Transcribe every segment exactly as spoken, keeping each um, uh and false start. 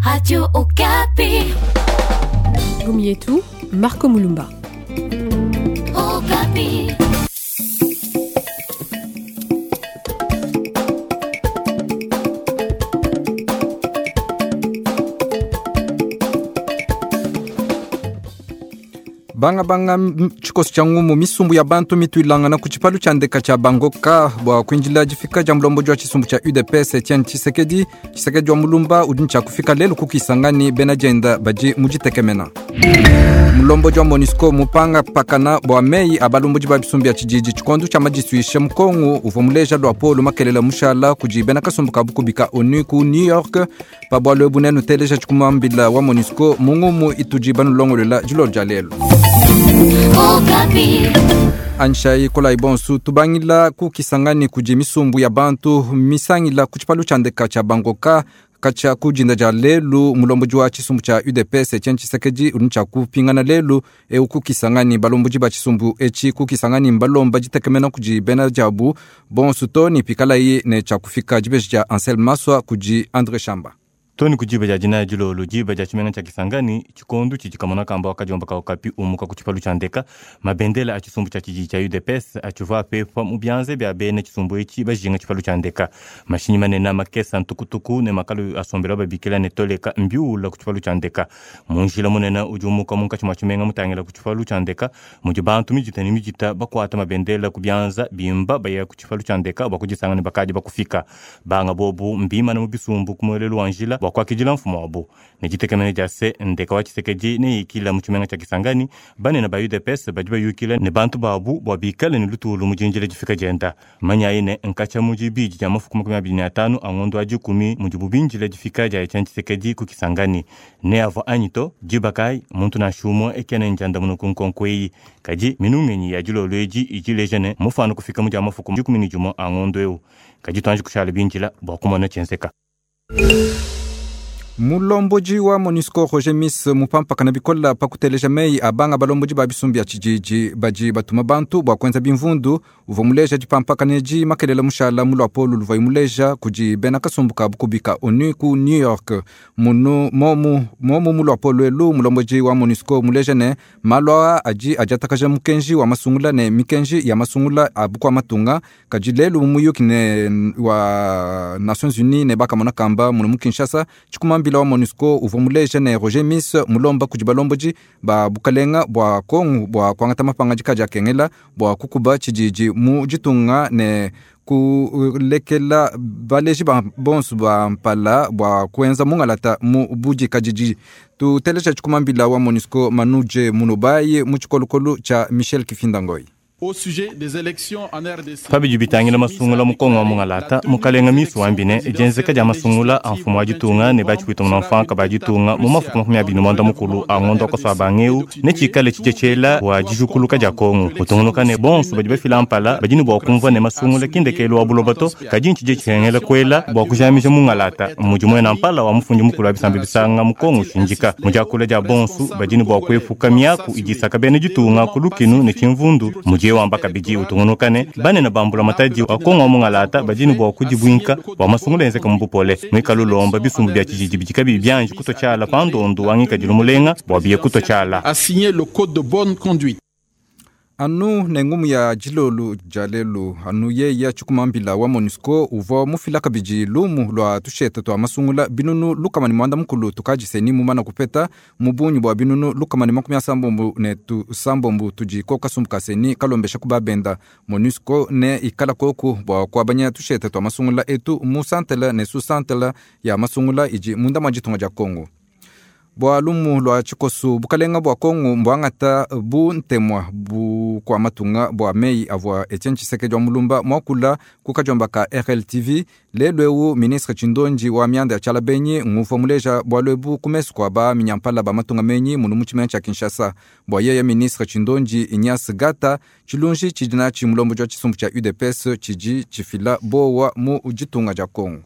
Radio Okapi. Gomietu, Marco Mulumba. Okapi. Banga banga tshikoso tshia ngumu misumbu ya bantu mituilangana ku tshipalu tshia ndeka tshia bangoka bua kuinjila difika dia mulomboji wa tshisumbu tshia U D P S Etienne Tshisekedi. Tshisekedi wa mulumba udi ntshia kufika lelu ku Kisangani bena dienda badi mu ditekemena. Mulomboji wa MONUSCO mupanga pakana bua meyi a balomboji ba bisumbu bia tshididi tshikondo tshia madisuisha mukongo uvua muleja lua polo makelela mushala kudi bena kasumbu ka bukubika ONU ku New York pa bualu ebu nenu teleja tshikumambila wa MONUSCO mu ngumu itudi banulongolola dilolo dia lelu. Anshai kolai bonsu tubangila ku Kisangani kudi misumbu ya bantu misangila ku tshipalu tshia ndeka tshia bangoka katshia kujinda dia lelu mulomboji wa tshisumbu tshia U D P S Etienne Tshisekedi udi ntshia kupingana lelu eu ku Kisangani. Balomboji ba tshisumbu etshi ku Kisangani mbalomba ditekemena kudi bena diabu bonsu to ni pikalayi ne tshia kufika dibeji dia Anselme Maswa kudi André Chamba. Toni kujiba ja jina jilolo jiba ja chimenga cha Kisangani chikondu chichikamona kamba wakajomba ka Okapi umuka ku tshipalu tsha ndeka mabendela a tshisumbu tsha tshiji tsha U D P S atshiva pepa mu byanze bya bene tshisumbu etshi bajinga tshipalu tsha ndeka mashinyi manene makesa ntukutuku ne makalu asombela babikila ne toleka mbiula ku tshipalu tsha ndeka munjila munene udi umuka munkatshi mwa tshimenga mutangila ku tshipalu tsha ndeka mudi bantu mijita ne mijita bakwata mabendela ku byanza bimba baya ku tshipalu tsha ndeka bakudisanga ne bakadi bakufika banga bobu mbima ne mu bisumbu ku muelelu wa njila kwakijila mfumo wabo ne ditekemena dia se ndeka wa Tshisekedi ne yikila mu tshimenga tshia Kisangani banene ba U D P S badi bayukila ne bantu babu bua bikale ne lutulu mu dinjila difika dienda manyayi ne nkatshia mu dibidi dia mafuku makumi abidi ne atanu a ngondo wa dikumi mudibu binjila difika dia Etienne Tshisekedi ku Kisangani ne avua anyi to diba kayi muntu nansha umue ekene ndiandamuna ku nkonko eyi kadi minungenyi ya dilolo edi idi ileja ne mufano kufika mu dia mafuku dikumi ne dimue a ngondo eu kadi tuanji kushala binjila bua kumona tshienzeka. Mulomboji wa MONUSCO Roger Miss mupampakana bikola pakuteleja meyi abanga balomboji ba bisumbu bia tshididi badi batuma bantu bua kuenza bimvundu uvua muleja dipampakana edi makelela mushala mu luapolo luvuaye muleja kudi bena kasumbu ka bukubika ONU ku New York. Munu momu momu mu luapolo elu mulomboji wa MONUSCO muleja ne malu aa adi adiatakaja mukenji wa masungula ne mikenji ya masungula a bukua matunga kadi lelu muyuki ne wa Nations Unies ne bakamona kamba munu mu Kinshasa tshikumambila wa MONUSCO uvua muleja ne Roger Miss mulomba kudi balomboji ba bukalenga bua Kongo bua kuangata mapangadika adi akengela bua kukuba tshididi mu ditunga ne kulekela baleji ba bonsu ba mpala bua kuenza mungalata mu budikadidi. Tuteleja tshikumambila wa MONUSCO Manuje Munubai mu tshikolokolo tshia Michel Kifindangoi. Au sujet des élections en R D C. Pabidi bitangila masungula mukongo wa mungalata mukalenga misu wambine jenzeka dia masungula a mfumu wa ditunga ne batshipwita munamfanka ba ditunga mu mafuku makumi abiri ne mukulu a ngondo akoswa bangeu ne tshikale tshitshetshiela wa dijukuluka dia Kongo utungunuka ne bonso badi bafila mpala badi ne bua kumvua ne masungula kindekelu wa buloba to kadi ntshidie tshihengela kuela bua kujamija mungalata mudi muena mpala wa mufundi mukulu wa bisambi bisanga mu Kongo ushindika mu diakula dia bonso badi ne bua kuepuka miaku idi isaka bena ditunga ku lukinu ne tshimvundu mudi wamba kabidi utungunukane banene bambula matadi wa Kongo wa mungalata badi ne bua kudibwinka bua masungula enzeka mu bupole mwikala ulomba bisumbu bia tshididi bidi kabiyi bianji kuto tshiala pa ndondu wa ngikadilu mulenga bua biye kuto tshiala. A signé le code de bonne conduite. Anu ne ngumu ya dilolo dia lelu anu yeya tshikumambila wa MONUSCO uvua mufila kabidi lumu lua tusheta tua masungula binunu lukama ne muanda mukulu tukadiseni mumana kupeta mu bungi bua binunu lukama ne makumi asambombo ne tusambombo tudi ko kasumbu kaseni kalombesha ku babenda. MONUSCO ne ikala koku bua kuabanya tusheta tua masungula etu mu santela ne su santela ya masungula idi munda mwa ditunga dia Kongo. Bua lumu lua tshikosu bukalenga bua Kongo mbuangata bu ntemwa bu kwa matunga bua meyi avua Etienne Tshisekedi wa mulumba muakula ku kadiomba ka R L T V lelu eu ministre Tshindonji wa mianda ya tshiala benyi nguvua muleja bualu ebu ku mesu kua ba minyampala ba matunga menyi munu mu tshimenga tshia Kinshasa. Bua yeye ministre Tshindonji Ignace Gata tshilunji tshidi natshi mulomboji wa tshisumbu tshia U D P S tshidi tshifila bowa mu ditunga dia Kongo.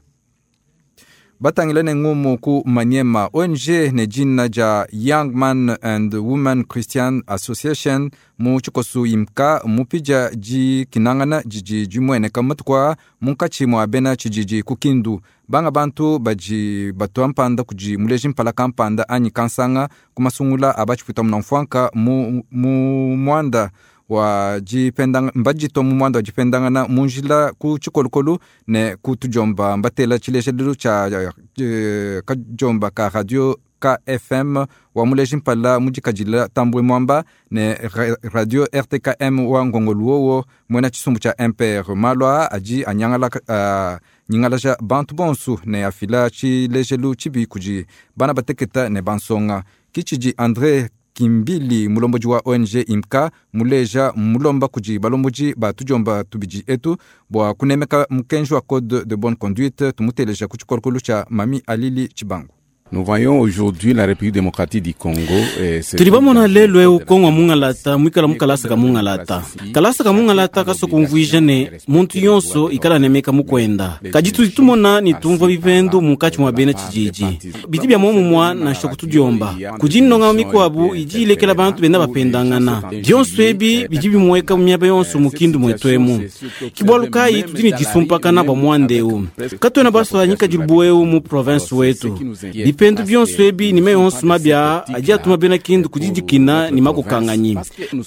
Batangila ne ngumu ku Maniema, O N G ne jina ja Young Man and Women Christian Association mu tshikosu imka mupija jikinangana jiji jimweneka matukwa munkatshi mwa bena tshijiji ku Kindu. Banga bantu baji batwa mpanda kuji muleji mpala kampanda anyi kansanga kumasungula abachiputa munamfwanka mu, mu mwanda wa jipendanga mbajito mu mwanda wa jipendangana munjila ku chikolokolo ne kutujomba mbatela chilejelelo cha eh, kajomba ka radio K F M wa muleji mpala mujikajila Tambwe Mwamba ne ra radio R T K M wa Ngongoluowo mwena chisumbu cha M P R malwa aji anyangala uh, nyingalaja bantu bonsu ne afila chilejelu chibi kuji bana bateketa ne bansonga kichiji André Kimbili mulomboji wa O N G Imka muleja mulomba kuji balomboji ba tujomba tubiji etu bwa kunemeka mukenji wa code de bonne conduite tumuteleja kuchikolokolo cha Mami Alili Chibangu. Nous voyons aujourd'hui la République démocratique du Congo. Tulibamona lelo eu Kongo mungalata mwikala mukalasa ka mungalata. Kalasa ka mungalata kasokumvuija ne muntu yonso ikala nemeka mukwenda. Kajitu tumona ni tumva bipendu mukachi mwa bena tshijiji. Biti bya momu mwa na shokutudiomba. Kujinonga mikwabu ijilekela bantu benda bapendangana. Byonso ebi biji bimweka mu myaba yonso mukindu mwetwemu. Kibwalukai tudini jisumpakana ba mwandeu. Katwena baswanyika jibueu mu province wetu. Bipendu byonso ebi nime yonso mabya aji atuma bena kindu kujijikina ni makukanganyi.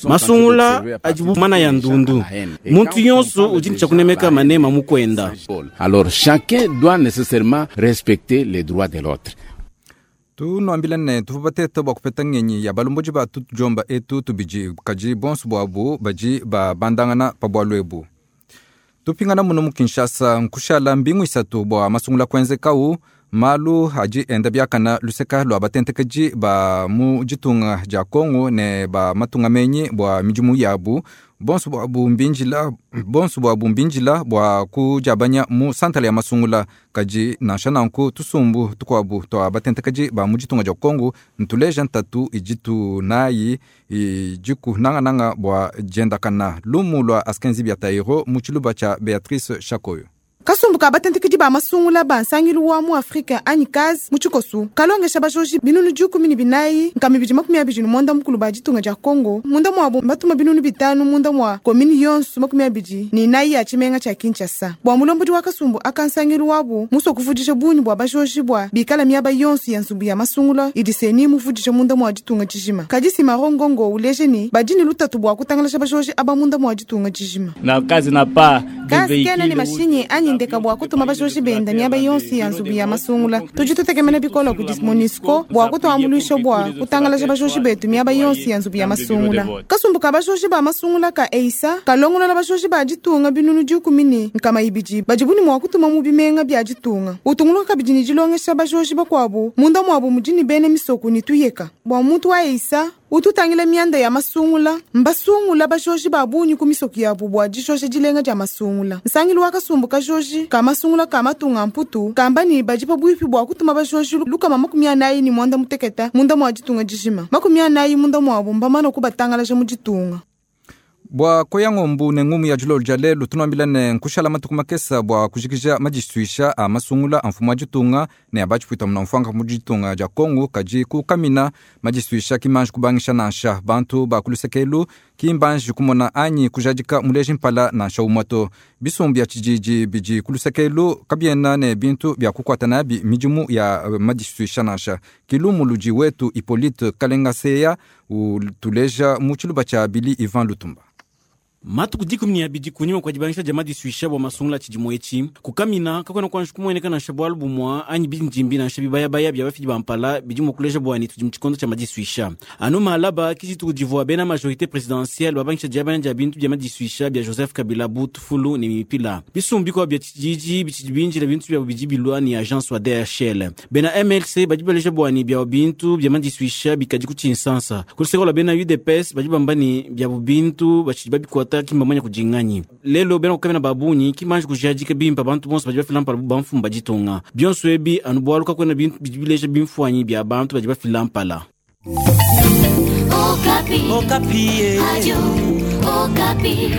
Masungula ajibu mana ya ndundu. Muntu yonso ujini chakunemeka manema mukwenda. Alors chacun doit nécessairement respecter les droits de l'autre. Tunuambila ne tuvubateta bwa kupeta ngenyi ya balumbuji ba tujomba etu tubiji kaji bonso bwabu baji ba bandangana pa bwalu ebu. Tupingana muno mu Kinshasa nkushala mbingu isatu bwa masungula kwenzekau malu haji enda byakana luseka lwa batentekeji ba mu jitunga ja Kongo ne ba matunga menyi bwa mijumu yabu bonso bwa bumbinjila bonso bwa bumbinjila bwa kujabanya mu santale ya masungula kaji nansha nanku tusumbu tukwabu twa batentekeji ba mu jitunga ja Kongo ntuleja ntatu ijitu nayi ijiku nanga nanga bwa jendakana lumu lwa askenzi bya Tairo mu chiluba cha Beatrice Shakoyo. Kasumbu ka batentekedi ba masungula ba nsangilu wa mu Afrika anyi kazi mu tshikosu kalongesha bajoji binunu dikumi ne binayi nkama ibidi makumi abidi ne mwanda mukulu ba ditunga dia Kongo munda muabu batuma binunu bitanu munda mua komini yonso makumi abidi ne inayi ya tshimenga tshia Kinshasa bua mulombodi wa kasumbu aka nsangilu wabu musua kuvudisha bunyi bua bajoji bua bikala miaba yonso ya nzubu ya masungula idi seni muvudisha munda mua ditunga dijima kadi Simaro Ngongo uleje ni badi ne lutatu bua kutangalasha bajoji aba munda mua ditunga dijima na kazi na pa kazi kena ne mashinyi anyi ndeka bua kutuma bajoji benda miaba yonso ya nzubu ya masungula tudi tutekemena bikola kudi MONUSCO bua kutuambuluisha bua kutangalaja bajoji betu miaba yonso ya nzubu ya masungula kasumbu ka bajoji ba masungula ka eisa kalongolola bajoji ba ditunga binunu dikumi ne nkama ibidi badi buni mua kutuma mu bimenga bia ditunga utunguluka kabidi ne dilongesha bajoji bakuabu munda muabu mudi ne bena misoku ne tuyeka bua muntu wa eisa ututangila mianda ya masungula mbasungula bajoji ba bunyi ku misoku yabu bua dijoja dilenga dia masungula nsangilu wa kasumbu kajoji ka masungula ka matunga mputu kamba ni badi pabuipi bua kutuma bajoji lukama makumi anayi ni mwanda muteketa munda mua ditunga dijima makumi anayi munda muabu mbamana kubatangalaja mu ditunga. Bua koya ngombu ne ngumu ya julolo dia lelu tunuambila ne nkushala matuku makesa bua kujikija majisuisha a masungula a mfumu wa ditunga ne abatshipuita muna mfuanga mu ditunga dia Kongo kaji kukamina majisuisha kimanji kubangisha nansha bantu ba kulusekelu kimbanji kumona anyi kujadika muleji mpala nansha umwato bisumbu bia tshijiji bidi kulusekelu kabiena ne bintu bia kukwata nabi midimu ya majisuisha nansha kilumu ludi wetu Hippolyte Kalengaseya utuleja mu tshiluba tshia Bili Ivan Lutumba. Matuku dikumi ne abidi kunyima kwa dibangisha dia madisuisha bua masungula tshidimu etshi kukamina kakuena kuanji kumueneka nansha bualu bumua anyi bindimbi nansha bibayabaya bia bafidi ba mpala bidi mua kuleja buani tudi mu tshikondo tshia madisuisha anu malaba kidituku divua bena majorité présidentielle babangisha diabanya dia bintu bia madisuisha bia Joseph Kabila Butufulu ne mipila bisumbu bikuabu bia tshididi bitshidi binjila bintu biabu bidi bilua ni agence wa D H L bena M L C badi baleja buani bia bintu bia madisuisha bikadi ku tshinsansa kuluseko la bena U D P S badi bamba ni biabu bintu batshidi babikuata kimbamanya kujinganyi lelo bena kukamena babunyi kimanje kujadika bimpa bantu bonso badi bafila mpala bamfumu baditonga bionso ebi anu bwalu kakwena bintu bidi bileja bimfuanyi bia bantu badi bafila mpala. Okapi. Okapi. Radio Okapi.